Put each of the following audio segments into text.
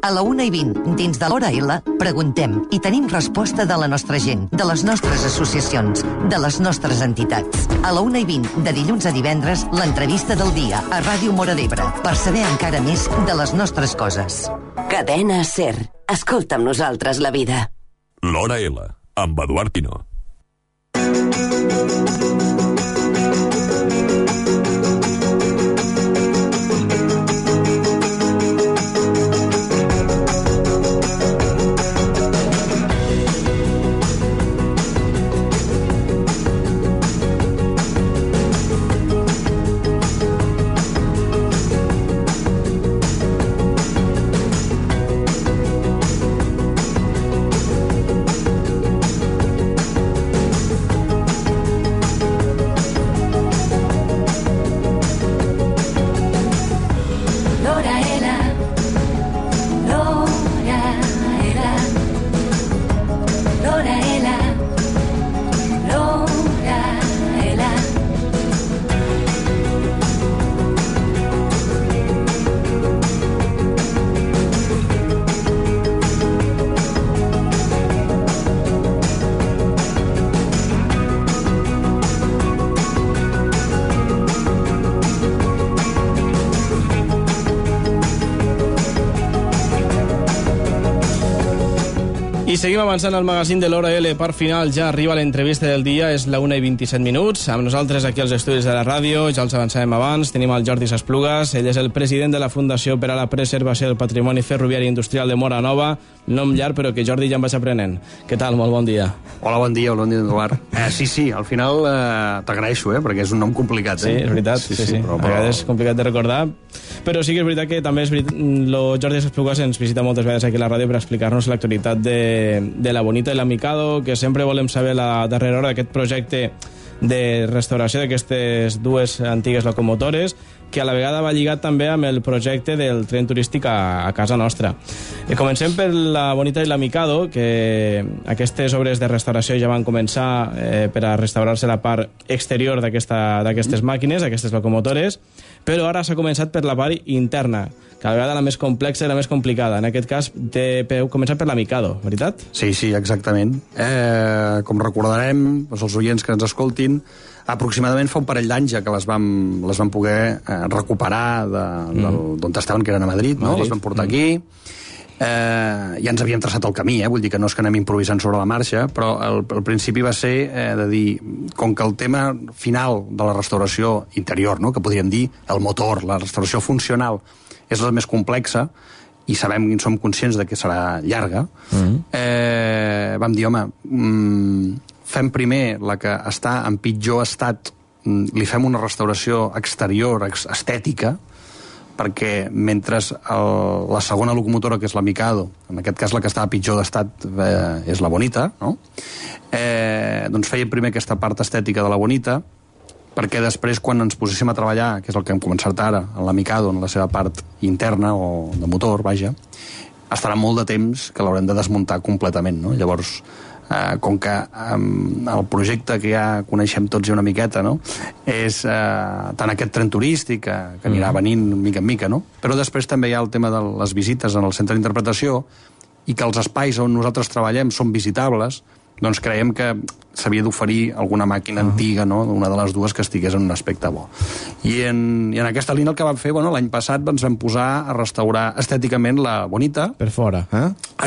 A la 1:20, dins de l'Hora L, preguntem i tenim resposta de la nostra gent, de les nostres associacions, de les nostres entitats. A la 1:20, de dilluns a divendres, l'entrevista del dia a Ràdio Móra d'Ebre, per saber encara més de les nostres coses. Cadena SER. Escolta amb nosaltres la vida. L'Hora L, amb Eduard Pino. I seguim avançant al magazín de l'Hora L. Per final ja arriba l'entrevista del dia, és la 1:27. Amb nosaltres aquí als estudis de la ràdio, ja els avançàvem abans, tenim el Jordi Sasplugas, ell és el president de la Fundació per a la Preservació del Patrimoni Ferroviari Industrial de Móra Nova, nom llarg però que Jordi ja em vaig aprenent. Què tal? Molt bon dia. Hola, bon dia, Eduard. Sí, al final t'agraeixo, perquè és un nom complicat. Sí, és veritat, sí. Però... A vegades és complicat de recordar, però sí que és veritat que també el Jordi Sasplugas ens visita moltes vegades aquí a la ràdio per explicar-nos l'actualitat de la Bonita i la Mikado, que sempre volem saber la darrera hora d'aquest projecte de restauració d'aquestes dues antigues locomotores, que a la vegada va lligat també amb el projecte del tren turístic a casa nostra. Comencem per la Bonita i la Mikado, que aquestes obres de restauració ja van començar per a restaurar-se la part exterior d'aquestes màquines, aquestes locomotores, però ara s'ha començat per la part interna, que a la vegada la més complexa i la més complicada. En aquest cas, heu començat per la Mikado, veritat? Sí, exactament. Com recordarem, els oients que ens escoltin, aproximadament fa un parell d'anys ja que les vam poder recuperar d'on estaven, que eren a Madrid, no? Les vam portar aquí. Ja ens havíem traçat el camí, vull dir que no és que anem improvisant sobre la marxa, però el principi va ser de dir, com que el tema final de la restauració interior, no? Que podríem dir el motor, la restauració funcional, és la més complexa, i sabem i som conscients de que serà llarga, vam dir, fem primer la que està en pitjor estat, li fem una restauració exterior, estètica, perquè mentre la segona locomotora, que és la Mikado, en aquest cas la que està a pitjor d'estat és la Bonita, no? Doncs fèiem primer aquesta part estètica de la Bonita, perquè després, quan ens poséssim a treballar, que és el que hem començat ara, en la Mikado, en la seva part interna, o de motor, vaja, estarà molt de temps que l'haurem de desmuntar completament, no? Llavors, com que el projecte que ja coneixem tots una miqueta, no? És tant aquest tren turístic que anirà venint mica en mica, no? Però després també hi ha el tema de les visites en el centre d'interpretació, i que els espais on nosaltres treballem són visitables, doncs creiem que s'havia d'oferir alguna màquina antiga, no? Una de les dues que estigués en un aspecte bo. I en aquesta línia el que vam fer, l'any passat ens vam posar a restaurar estèticament la Bonita. Per fora,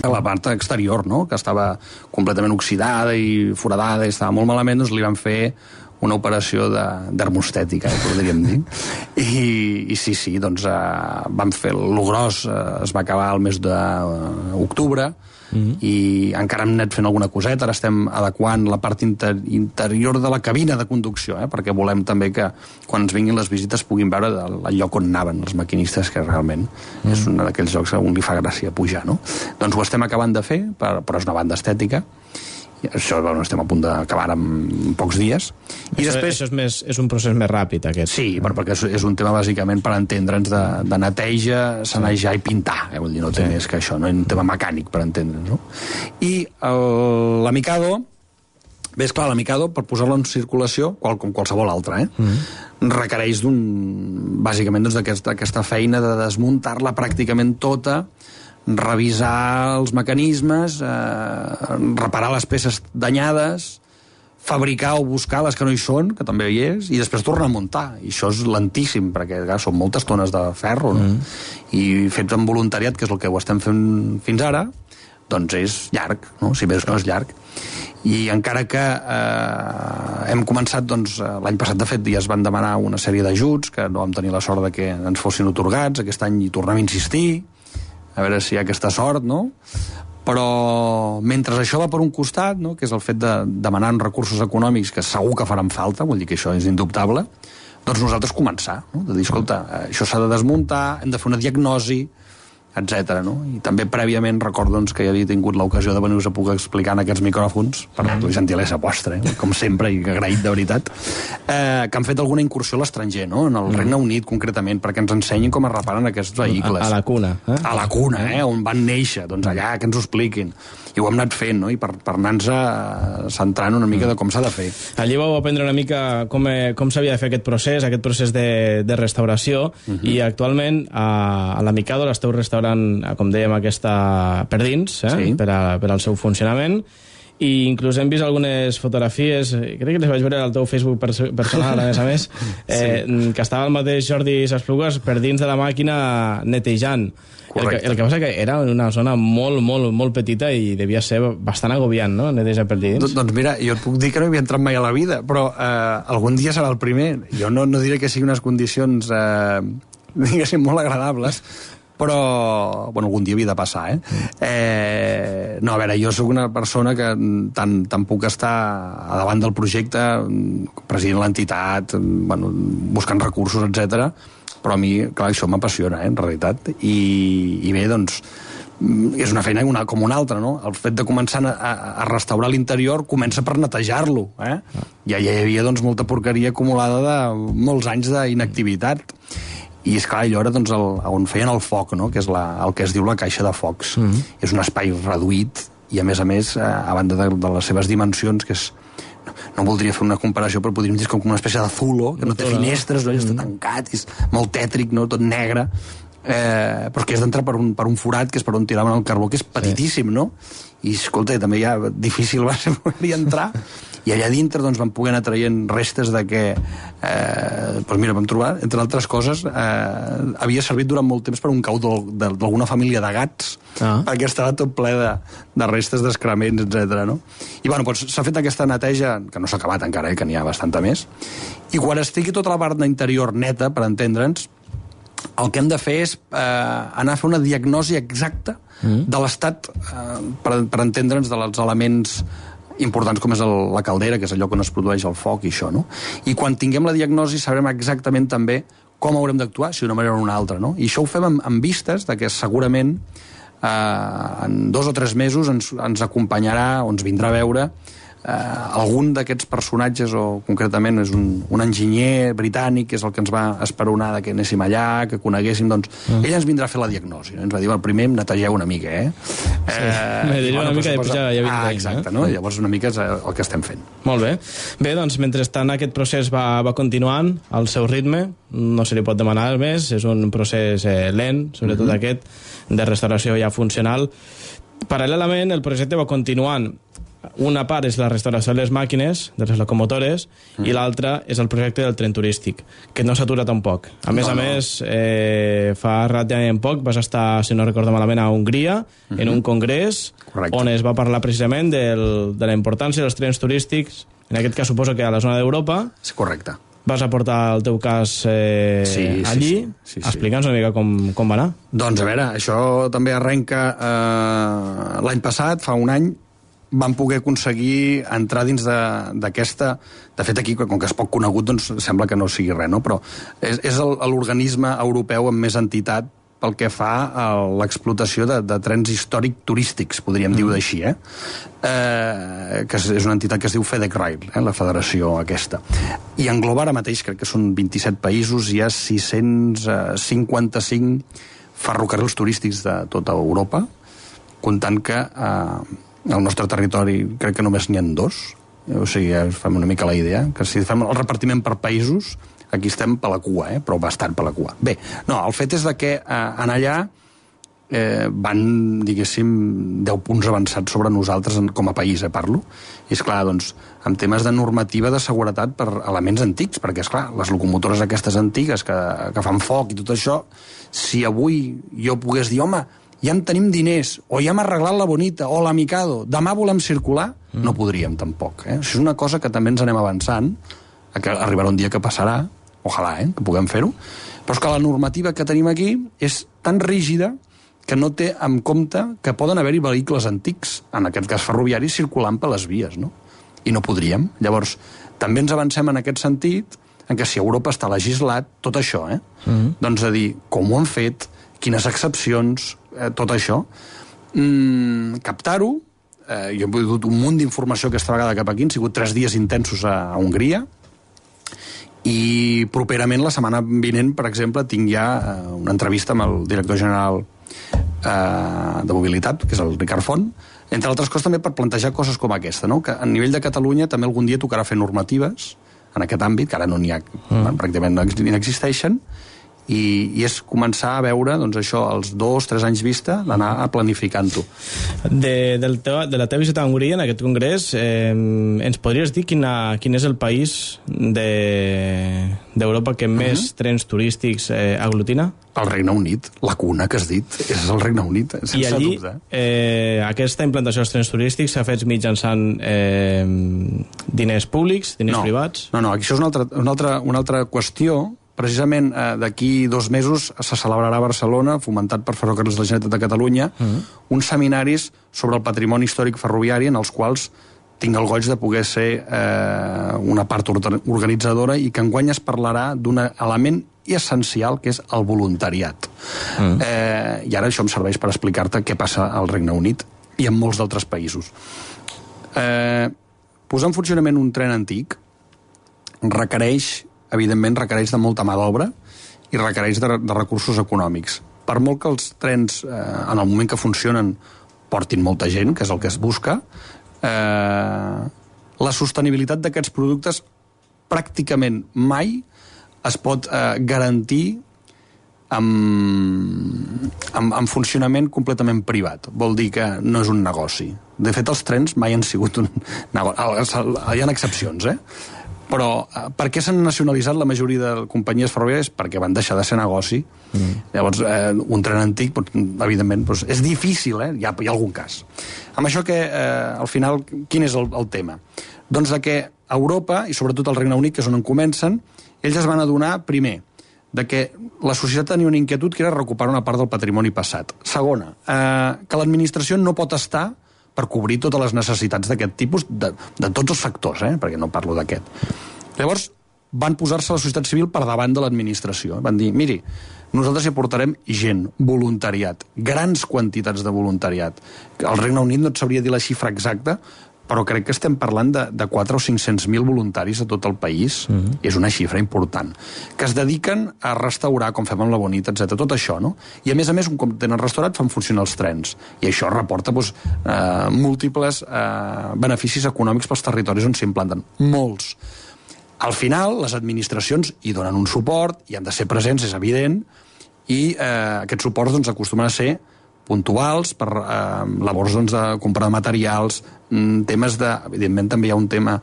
La part exterior, no? Que estava completament oxidada i foradada i estava molt malament, doncs li vam fer una operació d'hermostètica, podríem dir. I sí, doncs vam fer el gros, es va acabar el mes d'octubre, i encara hem anat fent alguna coseta. Ara estem adequant la part interior de la cabina de conducció, perquè volem també que quan ens vinguin les visites puguin veure el lloc on anaven els maquinistes, que realment és un d'aquells llocs on li fa gràcia pujar, no? Doncs ho estem acabant de fer, però és una banda estètica. Això estem a punt d'acabar en pocs dies. I després és un procés més ràpid, aquest. Sí, perquè és un tema bàsicament per entendre'ns de neteja, sanejar i pintar. Vull dir, no té més que això, no és un tema mecànic per entendre'ns, no? I la Mikado, bé, esclar, la Mikado, per posar-la en circulació, com qualsevol altra, requereix bàsicament d'aquesta feina de desmuntar-la pràcticament tota, revisar els mecanismes, reparar les peces danyades, fabricar o buscar les que no hi són, que també hi és, i després tornar a muntar. I això és lentíssim, perquè són moltes tones de ferro, no? I fet amb voluntariat, que és el que ho estem fent fins ara, doncs és llarg, no? Si més no és llarg. I encara que hem començat, doncs, l'any passat, de fet, ja es van demanar una sèrie d'ajuts, que no vam tenir la sort de que ens fossin atorgats, aquest any hi tornem a insistir, a veure si hi ha aquesta sort, no? Però mentre això va per un costat, no? Que és el fet de demanar recursos econòmics que segur que faran falta, vull dir que això és indubtable, doncs nosaltres començar, no? De dir, escolta, això s'ha de desmuntar, hem de fer una diagnosi, etc. No? I també prèviament recordo, doncs, que ja havia tingut l'ocasió de venir-vos a poder explicar en aquests micròfons, per la gentilesa vostra, com sempre, i agraït de veritat, que han fet alguna incursió a l'estranger, no? En el Regne Unit, concretament, perquè ens ensenyin com es reparen aquests vehicles. A la cuna. A la cuna, on van néixer, doncs allà, que ens ho expliquin. I ho hem anat fent, no? I per anar-nos centrant una mica de com s'ha de fer. Allí vau aprendre una mica com s'havia de fer aquest procés de restauració, i actualment a la Mikado l'esteu restaurant, com dèiem, aquesta per dins, per al seu funcionament, i inclús hem vist algunes fotografies, crec que les vaig veure al teu Facebook personal, a més, que estava el mateix Jordi Sasplugas per dins de la màquina netejant. El que passa que era una zona molt, molt, molt petita i devia ser bastant agobiant, no?, netejar per dins. Doncs mira, jo et puc dir que no hi havia entrat mai a la vida, però algun dia serà el primer. Jo no diré que siguin unes condicions, diguéssim, molt agradables, però, bueno, algun dia havia de passar, no, a veure, jo sóc una persona que tant puc estar a davant del projecte, president l'entitat, bueno, buscant recursos, etc. Però a mi, clar, això m'apassiona, en realitat, i bé, doncs, és una feina com una altra, no? El fet de començar a restaurar l'interior comença per netejar-lo, Ja hi havia, doncs, molta porqueria acumulada de molts anys d'inactivitat. I, esclar, allò era, doncs, on feien el foc, no?, que és el que es diu la caixa de focs. És un espai reduït i, a més, a banda de les seves dimensions, que és... No voldria fer una comparació, però podríem dir com una espècie de zulo, que no té finestres, no? Està tancat, és molt tètric, no?, tot negre, però que has d'entrar per un forat, que és per on tiraven el carbó, que és petitíssim, no? I, escolta, també ja difícil va ser poder entrar. I allà dintre, doncs, vam poder anar traient restes de que, doncs mira, vam trobar, entre altres coses, havia servit durant molt temps per un cau d'alguna família de gats, perquè estava tot ple de restes d'excrements, etc. No? I, bueno, doncs s'ha fet aquesta neteja, que no s'ha acabat encara, que n'hi ha bastanta més, i quan estigui tota la part interior neta, per entendre'ns, el que hem de fer és anar a fer una diagnosi exacta de l'estat, per entendre'ns, dels elements importants com és la caldera, que és allò on es produeix el foc i això, no? I quan tinguem la diagnosi sabrem exactament també com haurem d'actuar, si d'una manera o una altra, no? I això ho fem amb vistes de que segurament en 2 o 3 mesos ens acompanyarà o ens vindrà a veure algun d'aquests personatges, o concretament és un enginyer britànic, que és el que ens va esperonar que anéssim allà, que coneguéssim, doncs ell ens vindrà a fer la diagnosi, ens va dir, primer netegeu una mica, netegeu una mica i després ja vindrà. Exacte, no? Llavors una mica és el que estem fent. Molt bé. Bé, doncs, mentrestant aquest procés va continuant al seu ritme, no se li pot demanar més, és un procés lent, sobretot aquest, de restauració ja funcional. Paral·lelament, el projecte va continuant. Una part és la restauració de les màquines, de les locomotores, i l'altra és el projecte del tren turístic, que no s'atura tampoc. A més, fa relativament poc vas estar, si no recordo malament, a Hongria, en un congrés, on es va parlar precisament de la importància dels trens turístics, en aquest cas suposo que a la zona d'Europa. Sí, correcte. Vas aportar el teu cas allí. Explica'ns una mica com va anar. Doncs, a veure, això també arrenca l'any passat, fa un any, vam poder aconseguir entrar dins d'aquesta... De fet, aquí, com que és poc conegut, doncs sembla que no sigui res, no? Però és l'organisme europeu amb més entitat pel que fa a l'explotació de trens històric turístics, podríem dir-ho així, que és una entitat que es diu FedEx-Rail, la federació aquesta. I engloba ara mateix, crec que són 27 països, hi ha 655 ferrocarrils turístics de tota Europa, comptant que al nostre territori crec que només n'hi ha 2, o sigui, ja fem una mica la idea, que si fem el repartiment per països, aquí estem per la cua, però bastant per la cua. Bé, no, el fet és que en allà van, diguéssim, 10 punts avançats sobre nosaltres com a país, parlo. I, esclar, doncs, amb temes de normativa de seguretat per elements antics, perquè, esclar, les locomotores aquestes antigues que fan foc i tot això, si avui jo pogués dir, home, ja en tenim diners, o ja hem arreglat la Bonita, o la Mikado, demà volem circular, no podríem tampoc. Això és una cosa que també ens anem avançant, que arribarà un dia que passarà, ojalà, que puguem fer-ho, però és que la normativa que tenim aquí és tan rígida que no té en compte que poden haver-hi vehicles antics, en aquest cas ferroviaris, circulant per les vies, no? I no podríem. Llavors, també ens avancem en aquest sentit, en què si Europa està legislat, tot això, doncs a dir, com ho han fet, quines excepcions, tot això, captar-ho, jo he dut un munt d'informació aquesta vegada cap aquí, han sigut 3 dies intensos a Hongria, i properament, la setmana vinent, per exemple, tinc ja una entrevista amb el director general de mobilitat, que és el Ricard Font, entre altres coses també per plantejar coses com aquesta, no? Que a nivell de Catalunya també algun dia tocarà fer normatives en aquest àmbit, que ara no n'hi ha, pràcticament no existeixen, i és començar a veure, doncs això, els 2-3 anys vista, d'anar planificant-ho. De la teva visita a Hongria, en aquest congrés, ens podries dir quin és el país d'Europa que més trens turístics aglutina? El Regne Unit, la cuna que has dit, és el Regne Unit, sense I allí, dubte. Aquesta implantació dels trens turístics s'ha fet mitjançant diners públics, diners privats? No, això és una altra qüestió. Precisament d'aquí 2 mesos se celebrarà a Barcelona, fomentat per Ferrocarrils de la Generalitat de Catalunya, uns seminaris sobre el patrimoni històric ferroviari, en els quals tinc el goig de poder ser una part organitzadora, i que enguany es parlarà d'un element essencial, que és el voluntariat. I ara això em serveix per explicar-te què passa al Regne Unit i en molts d'altres països. Posar en funcionament un tren antic evidentment requereix de molta mà d'obra i requereix de recursos econòmics. Per molt que els trens, en el moment que funcionen, portin molta gent, que és el que es busca, la sostenibilitat d'aquests productes pràcticament mai es pot garantir amb funcionament completament privat. Vol dir que no és un negoci. De fet, els trens mai han sigut un negoci. Hi ha excepcions, però per què s'han nacionalitzat la majoria de companyies ferroviàries? Perquè van deixar de ser negoci. Llavors, un tren antic, evidentment, és difícil, hi ha algun cas. Amb això, al final, quin és el tema? Doncs que Europa, i sobretot el Regne Unit, que és on comencen, ells es van adonar, primer, que la societat tenia una inquietud que era recuperar una part del patrimoni passat. Segona, que l'administració no pot estar per cobrir totes les necessitats d'aquest tipus, de tots els sectors, perquè no parlo d'aquest. Llavors, van posar-se la societat civil per davant de l'administració. Van dir, miri, nosaltres hi aportarem gent, voluntariat, grans quantitats de voluntariat. Al Regne Unit no et sabria dir la xifra exacta, però crec que estem parlant de 400 o 500.000 voluntaris a tot el país. És una xifra important. Que es dediquen a restaurar, com fem amb la Bonita, etc. Tot això, no? I a més, un cop tenen restaurat, fan funcionar els trens. I això reporta múltiples beneficis econòmics pels territoris on s'implanten. Molts. Al final, les administracions hi donen un suport, hi han de ser presents, és evident, i aquests suports acostumen a ser puntuals per labors de compra de materials, temes de... Evidentment també hi ha un tema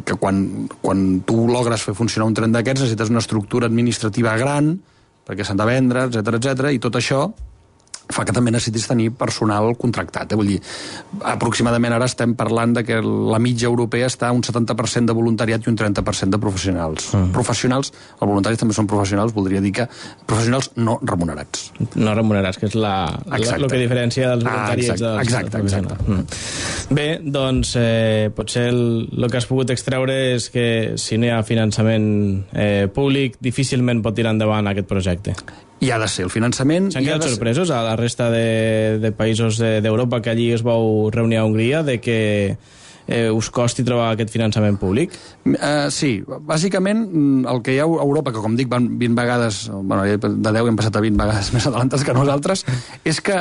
que quan tu logres fer funcionar un tren d'aquests necessites una estructura administrativa gran perquè s'han de vendre, etc, i tot això fa que també necessitis tenir personal contractat. Vull dir, aproximadament ara estem parlant que la mitja europea està un 70% de voluntariat i un 30% de professionals. Professionals, els voluntaris també són professionals, voldria dir que professionals no remunerats. No remunerats, que és el que diferencia dels voluntariats dels professionals. Bé, doncs, potser el que has pogut extreure és que si no hi ha finançament públic, difícilment pot tirar endavant aquest projecte. Hi ha de ser el finançament... S'han quedat sorpresos a la resta de països d'Europa que allí es vau reunir a Hongria de que us costi trobar aquest finançament públic? Sí, bàsicament el que hi ha a Europa, que com dic van 20 vegades, de 10 hem passat a 20 vegades més adelantats que nosaltres, és que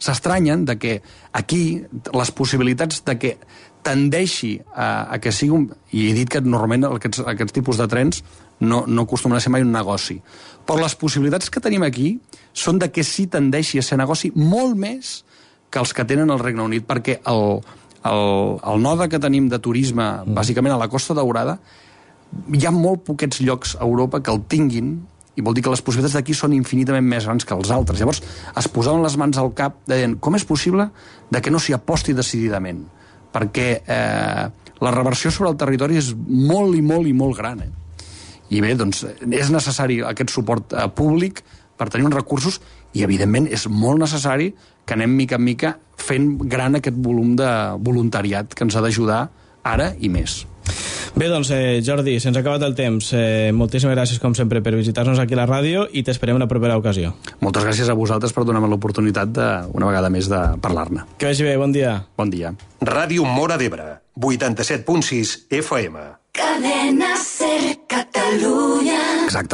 s'estranyen de que aquí les possibilitats de que tendeixi a que sigui i he dit que normalment aquests tipus de trens no acostumen a ser mai un negoci. Però les possibilitats que tenim aquí són de que sí tendeixi a ser negoci molt més que els que tenen el Regne Unit, perquè el node que tenim de turisme, bàsicament a la Costa Daurada, hi ha molt poquets llocs a Europa que el tinguin, i vol dir que les possibilitats d'aquí són infinitament més grans que els altres. Llavors es posaven les mans al cap deien, com és possible de que no s'hi aposti decididament? Perquè la reversió sobre el territori és molt i molt i molt gran. I bé, doncs, és necessari aquest suport públic per tenir uns recursos i, evidentment, és molt necessari que anem mica en mica fent gran aquest volum de voluntariat que ens ha d'ajudar ara i més. Bé, doncs, Jordi, se'ns ha acabat el temps. Moltíssimes gràcies, com sempre, per visitar-nos aquí a la ràdio i t'esperem una propera ocasió. Moltes gràcies a vosaltres per donar-me l'oportunitat una vegada més de parlar-ne. Que vagi bé, bon dia. Bon dia. Ràdio Móra d'Ebre, 87.6 FM. Cadena Ser Catalunya. Exacte.